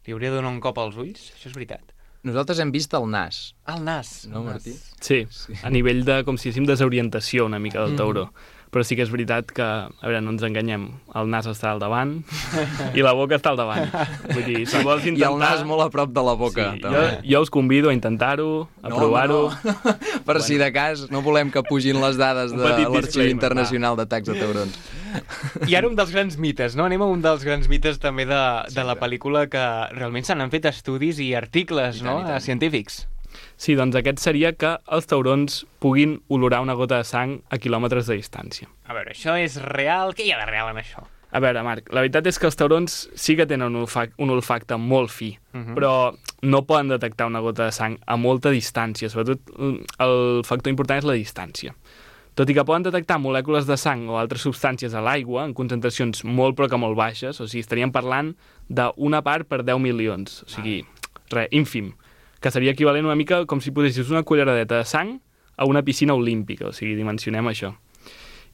li hauria de donar un cop als ulls, això és veritat. Nosaltres hem vist el nas. El nas. No, Martí? Sí, a nivell de, com si diguéssim, desorientació una mica del tauró. Però sí que és veritat que, a veure, no ens enganyem, el nas està al davant i la boca està al davant. Vull dir, si vols intentar... I el nas molt a prop de la boca. Sí, jo us convido a intentar-ho, a provar-ho. No. Per si de cas, no volem que pugin les dades de l'Arxiu Internacional d'Atacs de Taurons. I ara un dels grans mites, no? Anem a un dels grans mites també de la pel·lícula, que realment se n'han fet estudis i articles científics. Sí, doncs aquest seria que els taurons puguin olorar una gota de sang a quilòmetres de distància. A veure, això és real? Què hi ha de real en això? A veure, Marc, la veritat és que els taurons sí que tenen un olfacte molt fi, però no poden detectar una gota de sang a molta distància. Sobretot el factor important és la distància. Tot i que poden detectar molècules de sang o altres substàncies a l'aigua en concentracions molt però que molt baixes, o sigui, estaríem parlant d'una part per 10 milions, o sigui, ínfim, que seria equivalent una mica com si posessis una culleradeta de sang a una piscina olímpica, o sigui, dimensionem això.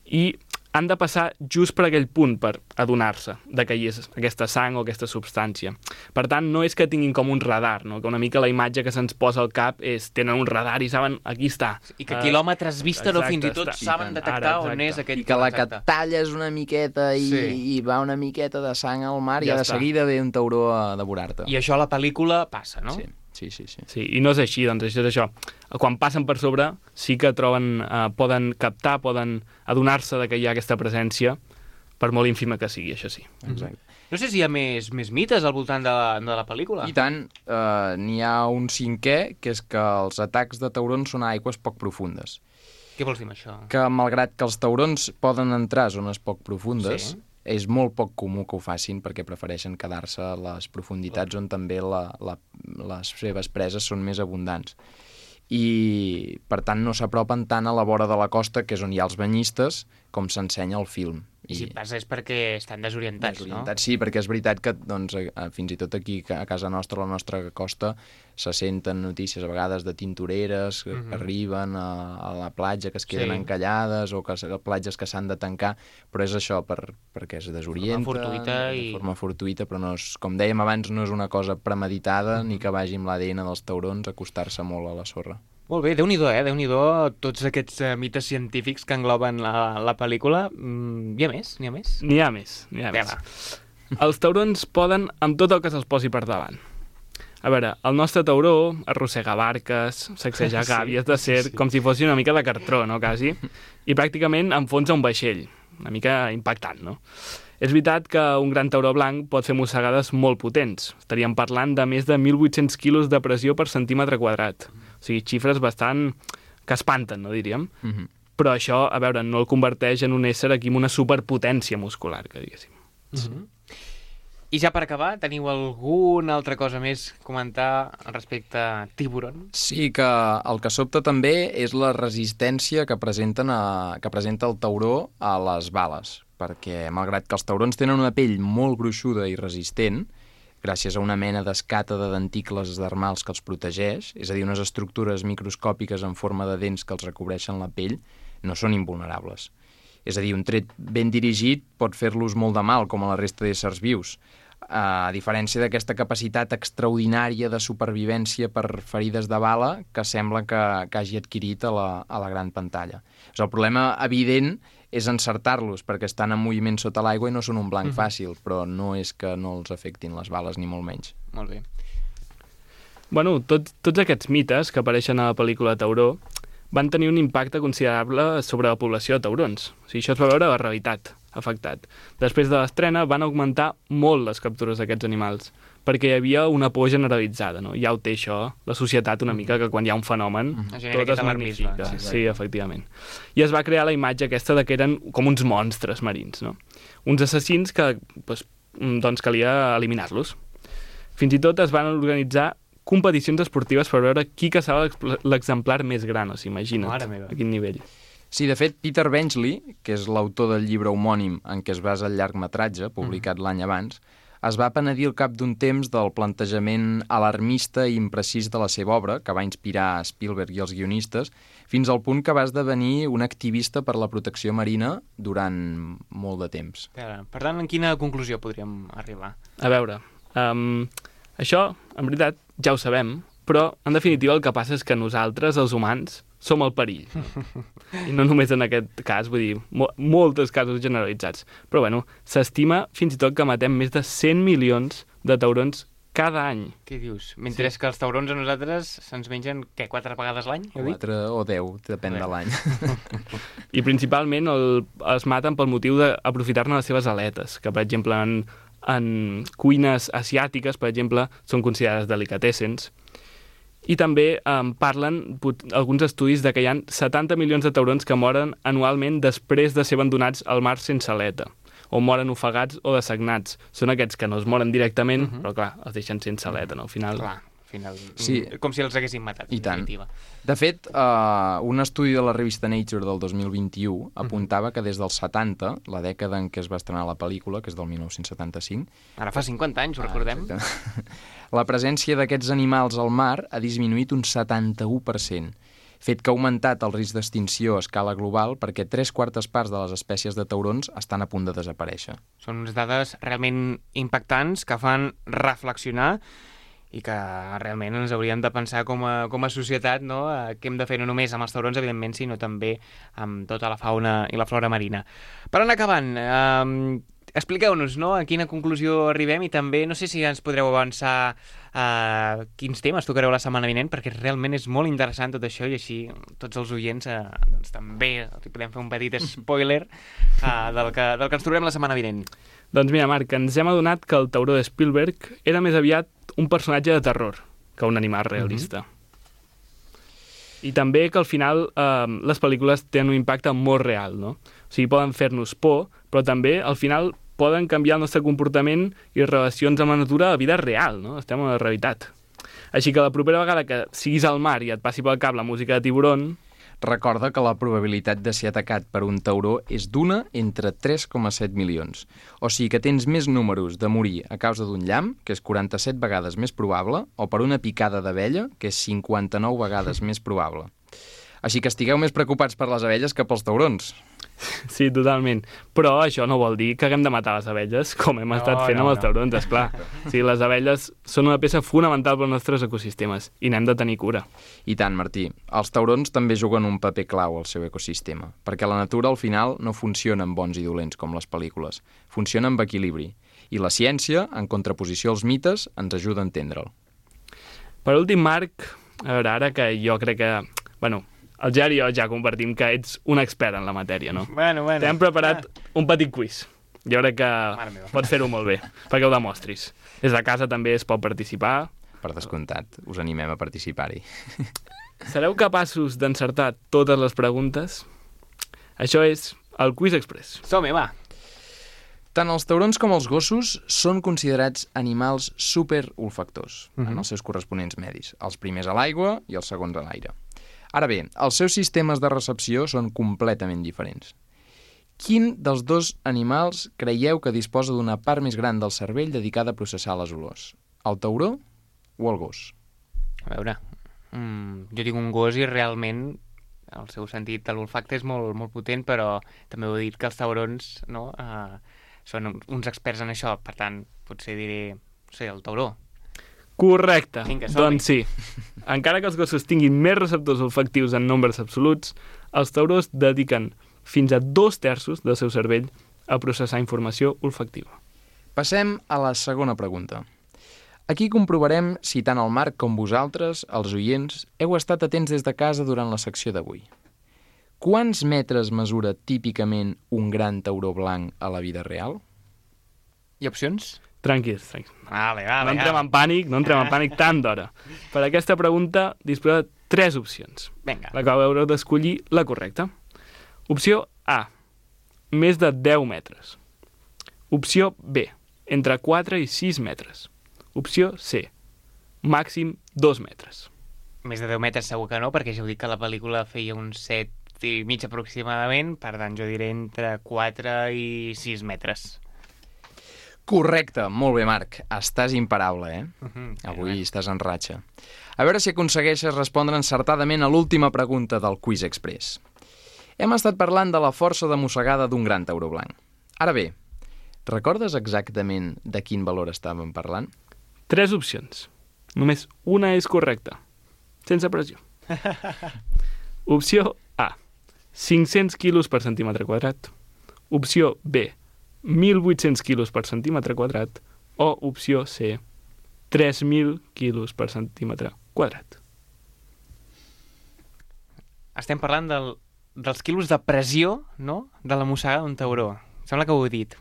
I han de passar just per aquell punt per adonar-se de que hi és aquesta sang o aquesta substància. Per tant, no és que tinguin com un radar, no? Que una mica la imatge que se'ns posa al cap és tenen un radar i saben, aquí està. I que quilòmetres vista o fins i tot saben detectar on és aquell... I que la que talles una miqueta i va una miqueta de sang al mar i de seguida ve un tauró a devorar-te. I això a la pel·lícula passa, no? Sí. Sí, i no és així, doncs això és això. Quan passen per sobre sí que poden captar, poden adonar-se de que hi ha aquesta presència, per molt ínfima que sigui, això sí. Exacte. No sé si hi ha més mites al voltant de la pel·lícula. I tant, n'hi ha un cinquè, que és que els atacs de taurons són a aigües poc profundes. Què vols dir amb això? Que malgrat que els taurons poden entrar a zones poc profundes, és molt poc comú que ho facin perquè prefereixen quedar-se a les profunditats on també les seves preses són més abundants. I, per tant, no s'apropen tant a la vora de la costa, que és on hi ha els banyistes, com s'ensenya al film. I si passa és perquè estan desorientats, no? Sí, perquè és veritat que doncs, fins i tot aquí a casa nostra, a la nostra costa, se senten notícies a vegades de tintoreres que arriben a la platja, que es queden encallades, o que platges que s'han de tancar, però és això, perquè es desorienta, de forma fortuïta, però no és, com dèiem abans, no és una cosa premeditada, ni que vagi amb l'ADN dels taurons a acostar-se molt a la sorra. Molt bé, Déu-n'hi-do, Déu-n'hi-do tots aquests mites científics que engloben la pel·lícula. Hi ha més? N'hi ha més. Els taurons poden amb tot el que se'ls posi per davant. A veure, el nostre tauró arrossega barques, sacseja gàbies de ser, com si fossin una mica de cartró, no, quasi? I pràcticament enfonsa un vaixell. Una mica impactant, no? És veritat que un gran tauró blanc pot fer mossegades molt potents. Estaríem parlant de més de 1.800 quilos de pressió per centímetre quadrat. O sigui, xifres bastant que espanten, no diríem? Però això, a veure, no el converteix en un ésser aquí amb una superpotència muscular, que diguéssim. I ja per acabar, teniu alguna altra cosa més a comentar respecte a Tiburon? Sí, que el que sobta també és la resistència que presenta el tauró a les bales, perquè malgrat que els taurons tenen una pell molt gruixuda i resistent, gràcies a una mena d'escata de denticles dermals que els protegeix, és a dir, unes estructures microscòpiques en forma de dents que els recobreixen la pell, no són invulnerables. És a dir, un tret ben dirigit pot fer-los molt de mal, com a la resta d'éssers vius, a diferència d'aquesta capacitat extraordinària de supervivència per ferides de bala que sembla que hagi adquirit a la gran pantalla. El problema evident és encertar-los, perquè estan en moviment sota l'aigua i no són un blanc fàcil, però no és que no els afectin les bales, ni molt menys. Molt bé. Bueno, tots aquests mites que apareixen a la pel·lícula Tauró van tenir un impacte considerable sobre la població de taurons. O sigui, això es va veure a la realitat afectat. Després de l'estrena van augmentar molt les captures d'aquests animals. perquè hi havia una por generalitzada, no? Ja ho té això, la societat una mica, que quan hi ha un fenomen, tot es magnifica. Sí, efectivament. I es va crear la imatge aquesta de que eren com uns monstres marins, no? Uns assassins que doncs calia eliminar-los. Fins i tot es van organitzar competicions esportives per veure qui caçava l'exemplar més gran, o sigui, imagina't a quin nivell. Sí, de fet, Peter Benchley, que és l'autor del llibre homònim en què es basa el llargmetratge, publicat l'any abans, es va penedir al cap d'un temps del plantejament alarmista i imprecís de la seva obra, que va inspirar Spielberg i els guionistes, fins al punt que va esdevenir un activista per la protecció marina durant molt de temps. Per tant, en quina conclusió podríem arribar? A veure, això, en veritat, ja ho sabem, però, en definitiva, el que passa és que nosaltres, els humans, som el perill. I no només en aquest cas, vull dir, molts casos generalitzats. Però, bueno, s'estima fins i tot que matem més de 100 milions de taurons cada any. Què dius? Mentre que els taurons a nosaltres se'ns mengen, 4 vegades l'any? 4 o 10, depèn de l'any. I principalment es maten pel motiu d'aprofitar-ne les seves aletes, que, per exemple, en cuines asiàtiques, per exemple, són considerades delicatessens. I també parlen alguns estudis de que hi ha 70 milions de taurons que moren anualment després de ser abandonats al mar sense aleta, o moren ofegats o dessagnats. Són aquests que no es moren directament, però clar, els deixen sense aleta, no? Al final... Clar, sí. Com si els haguessin matat. I tant. De fet, un estudi de la revista Nature del 2021 apuntava que des dels 70, la dècada en què es va estrenar la pel·lícula, que és del 1975... Ara fa 50 anys, ho recordem. La presència d'aquests animals al mar ha disminuït un 71%, fet que ha augmentat el risc d'extinció a escala global perquè 3/4 parts de les espècies de taurons estan a punt de desaparèixer. Són unes dades realment impactants que fan reflexionar i que realment ens hauríem de pensar com a societat, no? Què hem de fer no només amb els taurons, evidentment, sinó també amb tota la fauna i la flora marina. Per anar acabant, expliqueu-nos, no?, a quina conclusió arribem i també, no sé si ens podreu avançar quins temes tocareu la setmana vinent, perquè realment és molt interessant tot això i així tots els oients doncs, també podem fer un petit spoiler del que ens trobem la setmana vinent. Doncs mira, Marc, ens hem adonat que el tauró de Spielberg era més aviat un personatge de terror que un animal realista. I també que al final les pel·lícules tenen un impacte molt real, no? O sigui, poden fer-nos por, però també al final poden canviar el nostre comportament i relacions amb la natura a vida real, no? Estem en la realitat. Així que la propera vegada que siguis al mar i et passi pel cap la música de Tiburón... Recorda que la probabilitat de ser atacat per un tauró és d'una entre 3,7 milions. O sigui que tens més números de morir a causa d'un llamp, que és 47 vegades més probable, o per una picada d'abella, que és 59 vegades més probable. Així que estigueu més preocupats per les abelles que pels taurons. Sí, totalment. Però això no vol dir que haguem de matar les abelles, com hem estat fent amb els taurons, esclar. Sí, les abelles són una peça fonamental pels nostres ecosistemes i n'hem de tenir cura. I tant, Martí. Els taurons també juguen un paper clau al seu ecosistema, perquè la natura al final no funciona amb bons i dolents com les pel·lícules. Funciona amb equilibri. I la ciència, en contraposició als mites, ens ajuda a entendre'l. Per últim, Marc, a veure, ara que jo crec que... Bueno, el Gerard i jo ja compartim que ets un expert en la matèria, no? Bueno. T'hem preparat un petit quiz. Jo crec que pots fer-ho molt bé, perquè ho demostris. Des de casa també es pot participar. Per descomptat, us animem a participar-hi. Sereu capaços d'encertar totes les preguntes? Això és el Quiz Express. Som-hi, va! Tant els taurons com els gossos són considerats animals superolfactors en els seus corresponents medis, els primers a l'aigua i els segons a l'aire. Ara bé, els seus sistemes de recepció són completament diferents. Quin dels dos animals creieu que disposa d'una part més gran del cervell dedicada a processar les olors? El tauró o el gos? A veure, jo tinc un gos i realment el seu sentit de l'olfacte és molt, molt potent, però també heu dit que els taurons són uns experts en això, per tant, potser diré, no sé, el tauró. Correcte, doncs sí. Encara que els gossos tinguin més receptors olfactius en nombres absoluts, els taurons dediquen fins a 2/3 del seu cervell a processar informació olfactiva. Passem a la segona pregunta. Aquí comprovarem si tant el Marc com vosaltres, els oients, heu estat atents des de casa durant la secció d'avui. Quants metres mesura típicament un gran tauró blanc a la vida real? Hi ha opcions? Tranquils. Vale, No entrem en pànic tant d'hora. Per aquesta pregunta disposeu de 3 opcions. Vinga. La qual haureu d'escollir la correcta. Opció A, més de 10 metres. Opció B, entre 4 i 6 metres. Opció C, màxim 2 metres. Més de 10 metres segur que no, perquè ja heu dit que la pel·lícula feia uns 7 i mig aproximadament, per tant jo diré entre 4 i 6 metres. Correcte, molt bé, Marc. Estàs imparable, Avui estàs en ratxa. A veure si aconsegueixes respondre encertadament a l'última pregunta del Quiz Express. Hem estat parlant de la força de mossegada d'un gran tauró blanc. Ara bé, recordes exactament de quin valor estàvem parlant? 3 opcions. Només una és correcta. Sense pressió. Opció A, 500 quilos per centímetre quadrat. Opció B, 1.800 quilos per centímetre quadrat. O opció C, 3.000 quilos per centímetre quadrat. Estem parlant dels quilos de pressió, no?, de la mossegada d'un tauró. Sembla que ho heu dit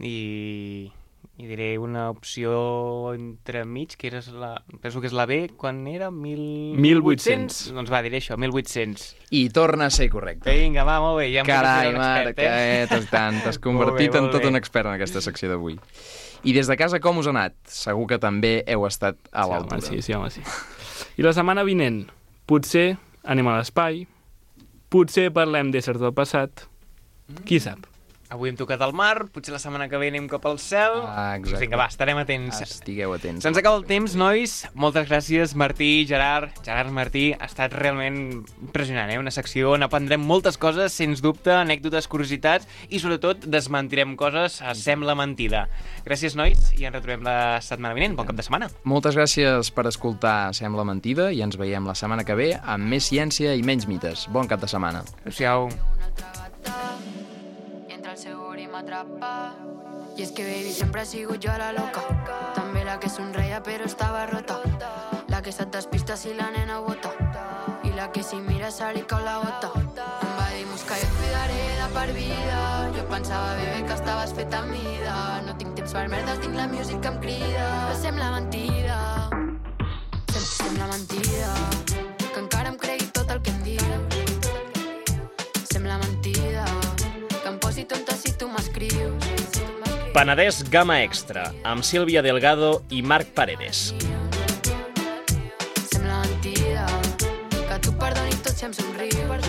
i diré una opció entremig, que penso que és la B, quan era 1.800. Doncs va, diré això, 1.800. I torna a ser correcte. Vinga, va, molt bé. Ja Carai, Marc, t'has convertit en tot un expert en aquesta secció d'avui. I des de casa com us ha anat? Segur que també heu estat a l'altura. Sí, home, sí. I la setmana vinent, potser anem a l'espai, potser parlem d'éssers del passat, qui sap? Avui hem tocat al mar, potser la setmana que ve anem cap al cel. Exacte. Vinga, va, estarem atents. Estigueu atents. Se'ns acaba el temps, nois. Moltes gràcies, Martí, Gerard, Martí. Ha estat realment impressionant, Una secció on aprendrem moltes coses, sens dubte, anècdotes, curiositats i, sobretot, desmentirem coses a Sembla Mentida. Gràcies, nois, i ens retrobem la setmana vinent. Bon cap de setmana. Moltes gràcies per escoltar Sembla Mentida i ens veiem la setmana que ve amb més ciència i menys mites. Bon cap de setmana. Adéu-siau. Y es que baby siempre sigo yo a la loca. També la que sonreia però estava rota. La que se't despista si la nena bota. I la que si mira se li cau la gota. Em va dir Mosca, jo et cuidaré de per vida. Jo pensava, bebé, que estaves feta a mida. No tinc temps per merdes, tinc la música que em crida. Però sembla mentida. Sembla mentida. Que encara em cregui tot el que em dius. Sembla mentida. Que em posi tonta si tu m'escrius. Penedès Gamma Extra, amb Sílvia Delgado i Marc Paredes. Sembla mentida que tu perdonis tot si em somrius.